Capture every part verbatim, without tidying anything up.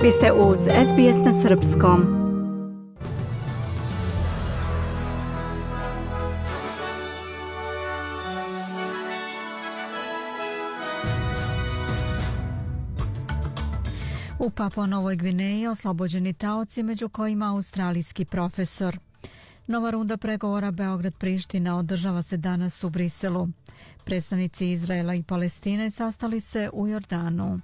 Vi ste uz S B S na srpskom. U Papua Novoj Gvineji oslobođeni taoci, među kojima australijski profesor. Nova runda pregovora Beograd-Priština održava se danas u Briselu. Predstavnici Izraela i Palestine sastali se u Jordanu.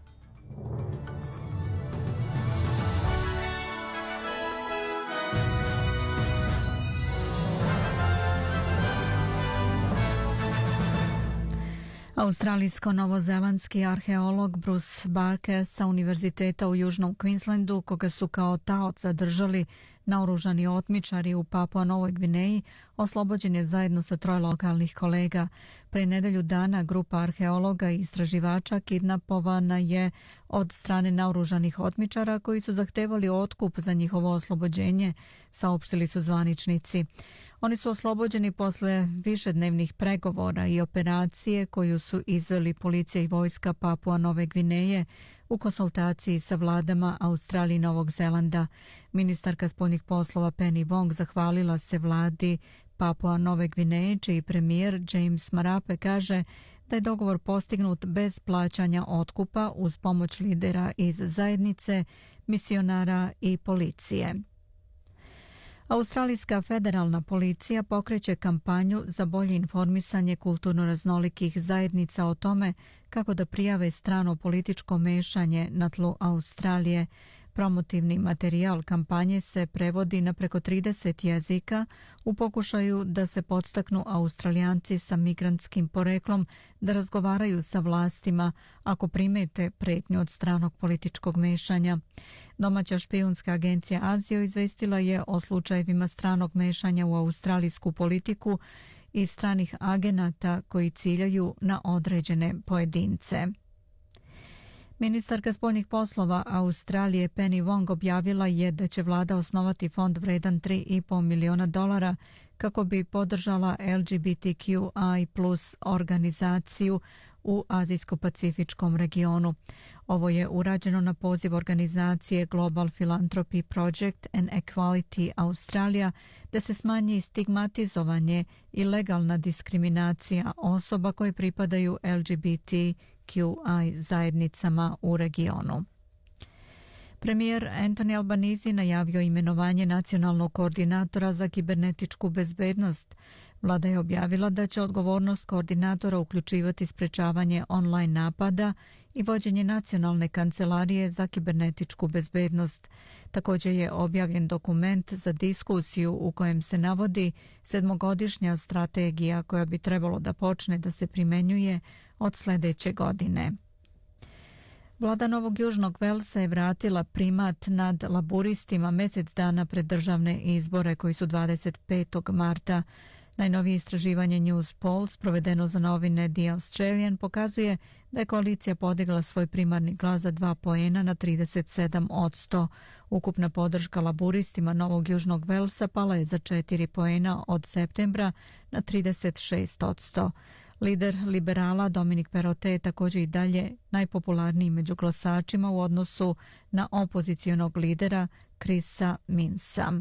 Australijsko-novozelandski arheolog Bruce Barker sa Univerziteta u Južnom Queenslandu, koga su kao taoc zadržali naoružani otmičari u Papua Novoj Gvineji, oslobođen je zajedno sa troje lokalnih kolega. Pre nedelju dana grupa arheologa i istraživača kidnapovana je od strane naoružanih otmičara koji su zahtevali otkup za njihovo oslobođenje, saopštili su zvaničnici. Oni su oslobođeni posle višednevnih pregovora i operacije koju su izveli policija i vojska Papua Nove Gvineje u konsultaciji sa vladama Australije i Novog Zelanda. Ministarka spoljnih poslova Penny Wong zahvalila se vladi Papua Nove Gvineje, čiji premijer James Marape kaže da je dogovor postignut bez plaćanja otkupa uz pomoć lidera iz zajednice, misionara i policije. Australijska federalna policija pokreće kampanju za bolje informisanje kulturno raznolikih zajednica o tome kako da prijave strano političko mešanje na tlu Australije. Promotivni materijal kampanje se prevodi na preko trideset jezika u pokušaju da se podstaknu Australijanci sa migrantskim poreklom da razgovaraju sa vlastima ako primete pretnju od stranog političkog mešanja. Domaća špijunska agencija Azio izvestila je o slučajevima stranog mešanja u australijsku politiku i stranih agenata koji ciljaju na određene pojedince. Ministarka spoljnih poslova Australije Penny Wong objavila je da će vlada osnovati fond vredan tri i po miliona dolara kako bi podržala L G B T Q I plus organizaciju u Azijsko-Pacifičkom regionu. Ovo je urađeno na poziv organizacije Global Philanthropy Project and Equality Australia da se smanji stigmatizovanje i legalna diskriminacija osoba koje pripadaju L G B T Q I zajednicama u regionu. Premijer Anthony Albanese najavio imenovanje nacionalnog koordinatora za kibernetičku bezbednost. Vlada je objavila da će odgovornost koordinatora uključivati sprečavanje online napada i vođenje nacionalne kancelarije za kibernetičku bezbednost. Također je objavljen dokument za diskusiju u kojem se navodi sedmogodišnja strategija koja bi trebalo da počne da se primenjuje od sljedeće godine. Vlada Novog Južnog Velsa je vratila primat nad laburistima mjesec dana pred državne izbore koji su dvadeset petog marta. Najnovije istraživanje News Polls provedeno za novine The Australian pokazuje da je koalicija podigla svoj primarni glas za dva poena na trideset sedam posto. Ukupna podrška laburistima Novog Južnog Velsa pala je za četiri poena od septembra na trideset šest posto. Lider liberala Dominic Perrottet je također i dalje najpopularniji među glasačima u odnosu na opozicionog lidera Chrisa Minsa.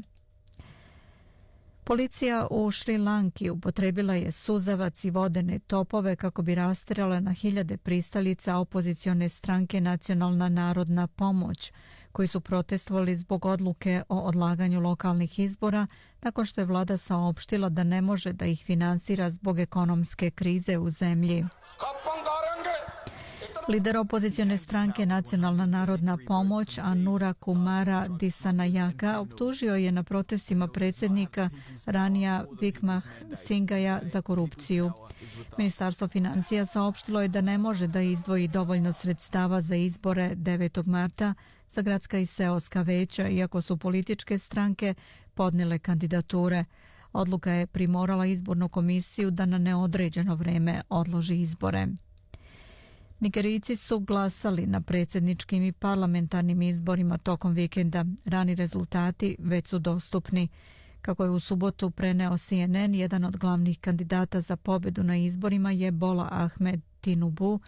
Policija u Šri Lanki upotrebila je suzavac i vodene topove kako bi rastjerala na hiljade pristalica opozicione stranke Nacionalna narodna pomoć, koji su protestovali zbog odluke o odlaganju lokalnih izbora nakon što je vlada saopštila da ne može da ih finansira zbog ekonomske krize u zemlji. Lider opozicione stranke Nacionalna narodna pomoć Anura Kumara Disanayaka optužio je na protestima predsjednika Ranija Wickremesinghe za korupciju. Ministarstvo financija saopštilo je da ne može da izdvoji dovoljno sredstava za izbore devetog marta za gradska i seoska veća, iako su političke stranke podnijele kandidature. Odluka je primorala izbornu komisiju da na neodređeno vrijeme odloži izbore. Nigerijci su glasali na predsjedničkim i parlamentarnim izborima tokom vikenda. Rani rezultati već su dostupni. Kako je u subotu preneo C N N, jedan od glavnih kandidata za pobjedu na izborima je Bola Ahmed Tinubu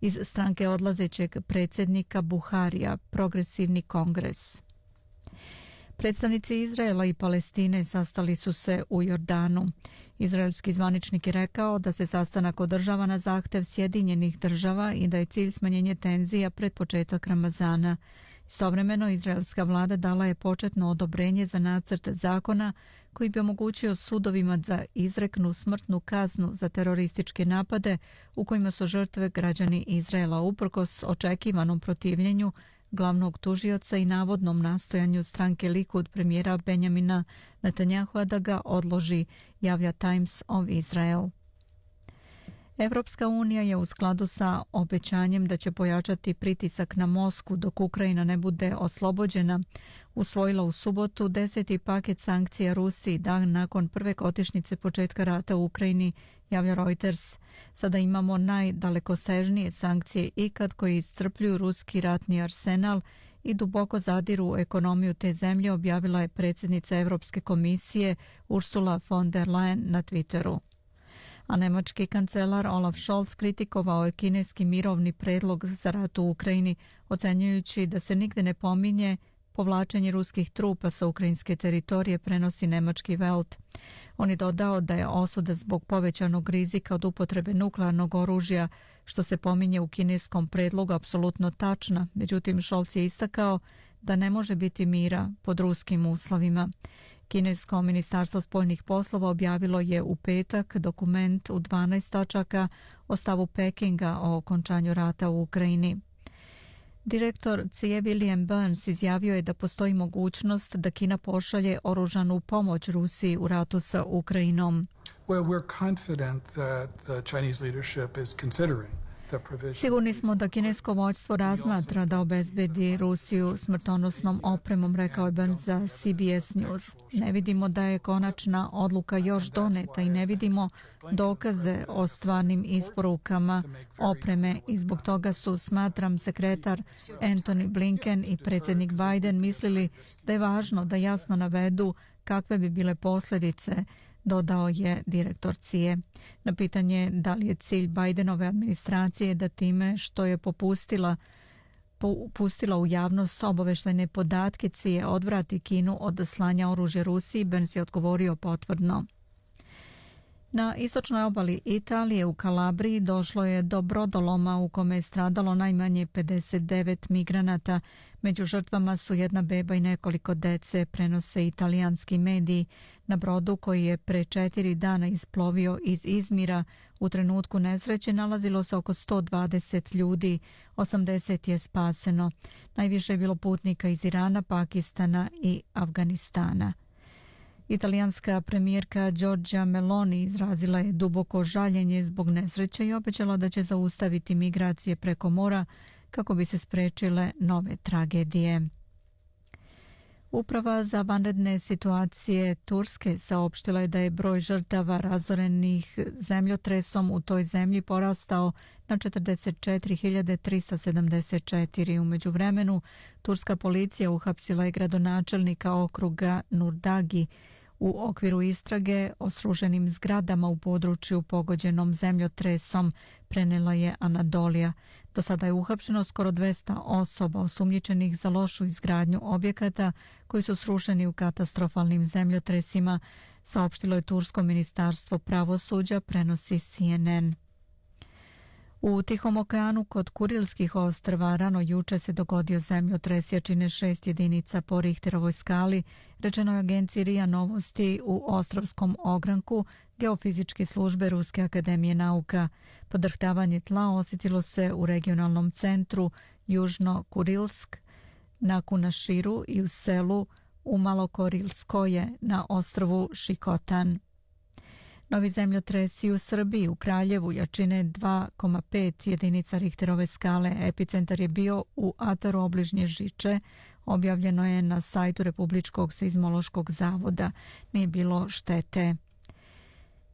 iz stranke odlazećeg predsjednika Buharija, Progresivni kongres. Predstavnici Izraela i Palestine sastali su se u Jordanu. Izraelski zvaničnik je rekao da se sastanak održava na zahtev Sjedinjenih država i da je cilj smanjenje tenzija pred početak Ramazana. Istovremeno, izraelska vlada dala je početno odobrenje za nacrt zakona koji bi omogućio sudovima da izreknu smrtnu kaznu za terorističke napade u kojima su žrtve građani Izraela uprkos očekivanom protivljenju glavnog tužioca i navodnom nastojanju stranke Likud premijera Benjamina Netanjahua da ga odloži, javlja Times of Israel. Evropska unija je u skladu sa obećanjem da će pojačati pritisak na Moskvu dok Ukrajina ne bude oslobođena, usvojila u subotu deseti paket sankcija Rusiji dan nakon prve godišnjice početka rata u Ukrajini, javlja Reuters. Sada imamo najdalekosežnije sankcije ikad koji iscrpljuju ruski ratni arsenal i duboko zadiru u ekonomiju te zemlje, objavila je predsjednica Europske komisije Ursula von der Leyen na Twitteru. A nemački kancelar Olaf Scholz kritikovao je kineski mirovni predlog za rat u Ukrajini, ocenjujući da se nigde ne pominje povlačenje ruskih trupa sa ukrajinske teritorije, prenosi nemački Welt. On je dodao da je osuda zbog povećanog rizika od upotrebe nuklearnog oružja, što se pominje u kineskom predlogu, apsolutno tačna. Međutim, Scholz je istakao da ne može biti mira pod ruskim uslovima. Kinesko ministarstvo spoljnih poslova objavilo je u petak dokument u dvanaest tačaka o stavu Pekinga o okončanju rata u Ukrajini. Direktor C I E William Burns izjavio je da postoji mogućnost da Kina pošalje oružanu pomoć Rusiji u ratu sa Ukrajinom. Well, we're confident that the Chinese leadership is considering. Sigurni smo da kinesko vođstvo razmatra da obezbedi Rusiju smrtonosnom opremom, rekao je Burns za C B S News. Ne vidimo da je konačna odluka još doneta i ne vidimo dokaze o stvarnim isporukama opreme i zbog toga su, smatram, sekretar Antony Blinken i predsjednik Biden mislili da je važno da jasno navedu kakve bi bile posljedice, dodao je direktor C I E. Na pitanje da li je cilj Bidenove administracije da time što je popustila, pustila u javnost obavještajne podatke C I E odvrati Kinu od slanja oružja Rusiji, Burns je odgovorio potvrdno. Na istočnoj obali Italije u Kalabriji došlo je do brodoloma u kome je stradalo najmanje pedeset devet migranata. Među žrtvama su jedna beba i nekoliko dece, prenose italijanski mediji. Na brodu koji je pre četiri dana isplovio iz Izmira u trenutku nesreće nalazilo se oko sto dvadeset ljudi, osamdeset je spaseno. Najviše je bilo putnika iz Irana, Pakistana i Afganistana. Italijanska premijerka Giorgia Meloni izrazila je duboko žaljenje zbog nesreće i obećala da će zaustaviti migracije preko mora kako bi se sprečile nove tragedije. Uprava za vanredne situacije Turske saopštila je da je broj žrtava razorenih zemljotresom u toj zemlji porastao na četrdeset četiri hiljade trista sedamdeset četiri. U međuvremenu, turska policija uhapsila je gradonačelnika okruga Nurdagi u okviru istrage o srušenim zgradama u području pogođenom zemljotresom, prenela je Anadolija. Do sada je uhapšeno skoro dvesta osoba osumnjičenih za lošu izgradnju objekata koji su srušeni u katastrofalnim zemljotresima, saopštilo je Tursko ministarstvo pravosuđa, prenosi C N N. U Tihom okeanu kod Kurilskih ostrva rano juče se dogodio zemljotres jačine šest jedinica po Richterovoj skali, rečeno je agenciji R I A Novosti u Ostrovskom ogranku Geofizičke službe Ruske akademije nauka. Podrhtavanje tla osjetilo se u regionalnom centru Južno Kurilsk, na Kunaširu i u selu u Malokorilskoje na ostrvu Šikotan. Novi zemljotresi u Srbiji u Kraljevu jačine dva zarez pet jedinica Richterove skale. Epicentar je bio u ataru obližnje Žiče, objavljeno je na sajtu Republičkog seizmološkog zavoda. Nije bilo štete.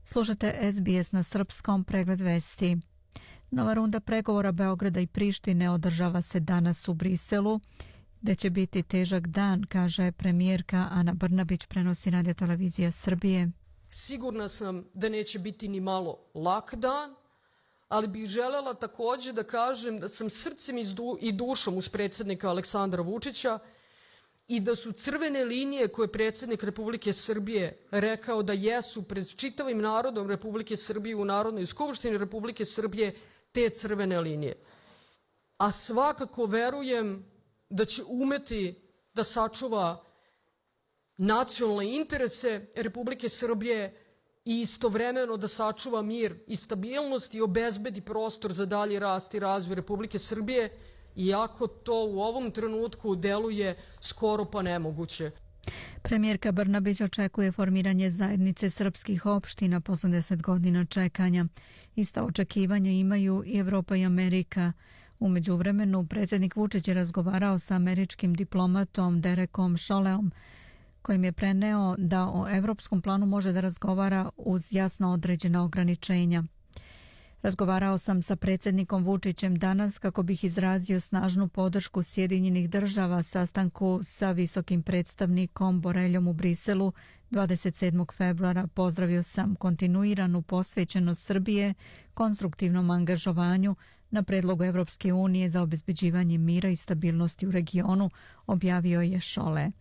Slušate S B S na srpskom, pregled vesti. Nova runda pregovora Beograda i Prištine održava se danas u Briselu, gde će biti težak dan, kaže premijerka Ana Brnabić, prenosi Radio televizija Srbije. Sigurna sam da neće biti ni malo lak dan, ali bih želela takođe da kažem da sam srcem i dušom uz predsjednika Aleksandra Vučića i da su crvene linije koje je predsjednik Republike Srbije rekao da jesu pred čitavim narodom Republike Srbije u Narodnoj skupštini Republike Srbije te crvene linije. A svakako verujem da će umeti da sačuva nacionalne interese Republike Srbije i istovremeno da sačuva mir i stabilnost i obezbedi prostor za dalji rast i razvoj Republike Srbije, iako to u ovom trenutku deluje skoro pa nemoguće. Premijerka Brnabić očekuje formiranje zajednice srpskih opština posle deset godina čekanja. Ista očekivanja imaju i Evropa i Amerika. U međuvremenu, predsjednik Vučić je razgovarao sa američkim diplomatom Derekom Šoleom, kojim je preneo da o evropskom planu može da razgovara uz jasno određena ograničenja. Razgovarao sam sa predsjednikom Vučićem danas kako bih izrazio snažnu podršku Sjedinjenih država sastanku sa visokim predstavnikom Boreljom u Briselu dvadeset sedmog februara. Pozdravio sam kontinuiranu posvećenost Srbije konstruktivnom angažovanju na predlogu Evropske unije za obezbeđivanje mira i stabilnosti u regionu, objavio je Šole.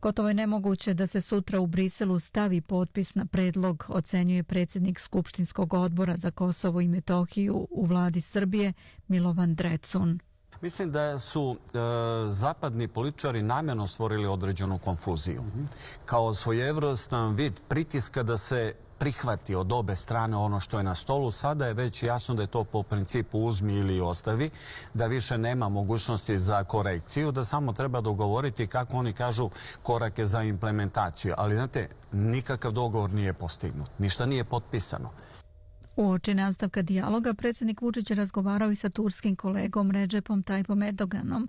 Gotovo je nemoguće da se sutra u Briselu stavi potpis na predlog, ocenjuje predsjednik Skupštinskog odbora za Kosovo i Metohiju u vladi Srbije Milovan Drecun. Mislim da su e, zapadni političari namjerno stvorili određenu konfuziju. Mm-hmm. Kao svojevrstan vid pritiska da se prihvati od obe strane ono što je na stolu. Sada je već jasno da je to po principu uzmi ili ostavi, da više nema mogućnosti za korekciju, da samo treba dogovoriti, kako oni kažu, korake za implementaciju. Ali, znate, nikakav dogovor nije postignut, ništa nije potpisano. Uoči nastavka dijaloga, predsjednik Vučić je razgovarao i sa turskim kolegom Redžepom Tayyipom Erdoganom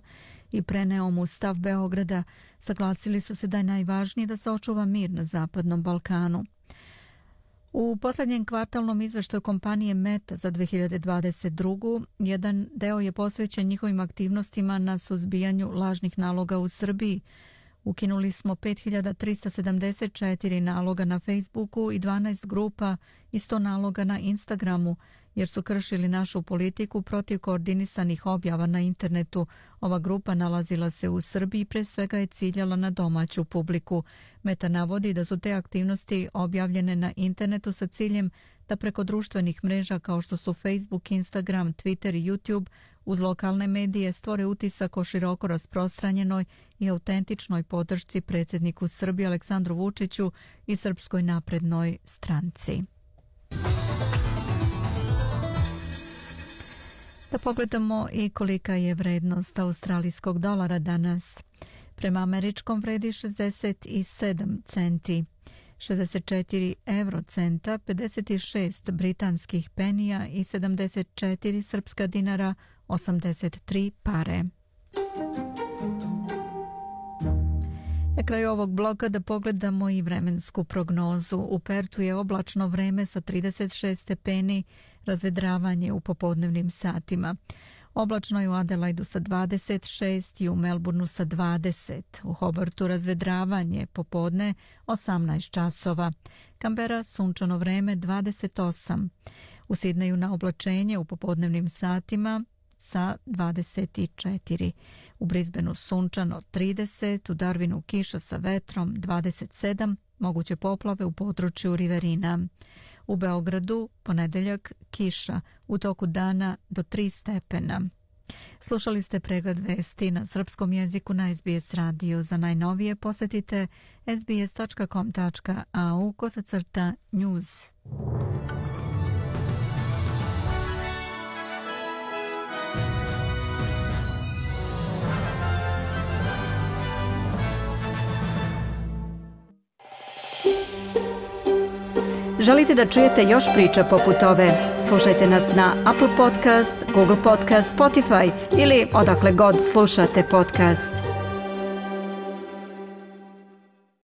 i preneo mu stav Beograda. Saglasili su se da je najvažnije da se očuva mir na Zapadnom Balkanu. U posljednjem kvartalnom izveštaju kompanije Meta za dve hiljade dvadeset drugu. jedan deo je posvećen njihovim aktivnostima na suzbijanju lažnih naloga u Srbiji. Ukinuli smo pet hiljada trista sedamdeset četiri naloga na Facebooku i dvanaest grupa i sto naloga na Instagramu, jer su kršili našu politiku protiv koordinisanih objava na internetu. Ova grupa nalazila se u Srbiji i pre svega je ciljala na domaću publiku. Meta navodi da su te aktivnosti objavljene na internetu sa ciljem da preko društvenih mreža kao što su Facebook, Instagram, Twitter i YouTube uz lokalne medije stvore utisak o široko rasprostranjenoj i autentičnoj podršci predsjedniku Srbije Aleksandru Vučiću i Srpskoj naprednoj stranci. Da pogledamo i kolika je vrednost australijskog dolara danas. Prema američkom vredi šezdeset sedam centi, šezdeset četiri eurocenta, pedeset šest britanskih penija i sedamdeset četiri srpska dinara, osamdeset tri pare. Na kraju ovog bloka da pogledamo i vremensku prognozu. U Pertu je oblačno vreme sa trideset šest stepeni, razvedravanje u popodnevnim satima. Oblačno je u Adelaidu sa dvadeset šest i u Melbourneu sa dvadeset. U Hobartu razvedravanje popodne osamnaest časova. Kambera sunčano vreme dvadeset osam. U Sidneju na oblačenje u popodnevnim satima sa dvadeset četiri. U Brisbaneu sunčano trideset, u Darwinu kiša sa vetrom dvadeset sedam, moguće poplave u području Riverina. U Beogradu ponedeljak kiša, u toku dana do tri stepena. Slušali ste pregled vesti na srpskom jeziku na S B S radiju. Za najnovije posjetite s b s tačka com tačka a u kosacrta news. Želite da čujete još priča poput ove? Slušajte nas na Apple Podcast, Google Podcast, Spotify ili odakle god slušate podcast.